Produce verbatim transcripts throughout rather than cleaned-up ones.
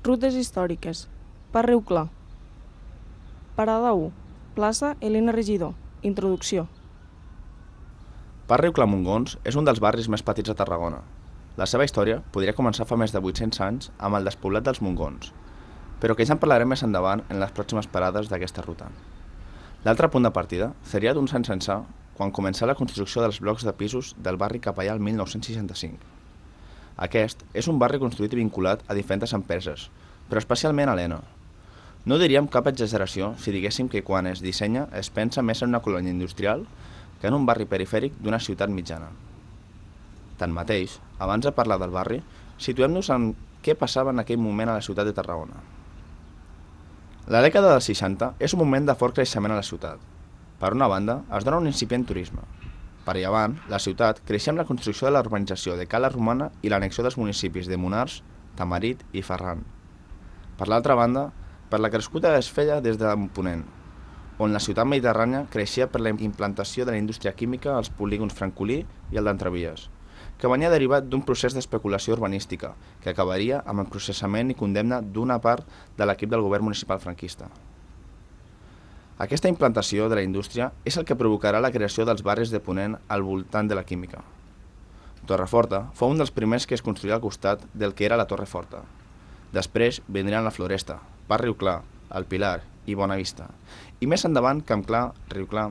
Rutes històriques. Parc Riu Clar. Parada u. Plaça Elena Regidor. Introducció. Parc Riu Clar Montgons és un dels barris més petits de Tarragona. La seva història podria començar fa més de vuit-cents anys amb el despoblat dels Montgons, però que ja en parlarem més endavant en les pròximes parades d'aquesta ruta. L'altre punt de partida seria d'uns anys ençà, quan començà la construcció dels blocs de pisos del barri Capellà el mil nou-cents seixanta-cinc. Aquest és un barri construït i vinculat a diferents empreses, però especialment a l'Ena. No diríem cap exageració si diguéssim que quan es dissenya es pensa més en una colònia industrial que en un barri perifèric d'una ciutat mitjana. Tanmateix, abans de parlar del barri, situem-nos en què passava en aquell moment a la ciutat de Tarragona. La dècada dels seixanta és un moment de fort creixement a la ciutat. Per una banda, es dona un incipient turisme. Per llevant, la ciutat creixia amb la construcció de la urbanització de Cala Romana i l'annexió dels municipis de Monars, Tamarit i Ferran. Per l'altra banda, per la crescuda es feia des de Ponent, on la ciutat mediterrània creixia per la implantació de la indústria química als polígons Francolí i el d'Entrevies, que venia derivat d'un procés d'especulació urbanística que acabaria amb el processament i condemna d'una part de l'equip del govern municipal franquista. Aquesta implantació de la indústria és el que provocarà la creació dels barris de Ponent al voltant de la química. Torreforta fou un dels primers que es construïa al costat del que era la Torre Forta. Després vindrien la Floresta, Parc Riu Clar, el Pilar i Bonavista, i més endavant Camp Clar, Riu Clar.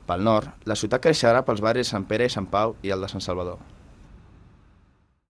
Pel nord, la ciutat creixerà pels barris Sant Pere i Sant Pau i el de Sant Salvador.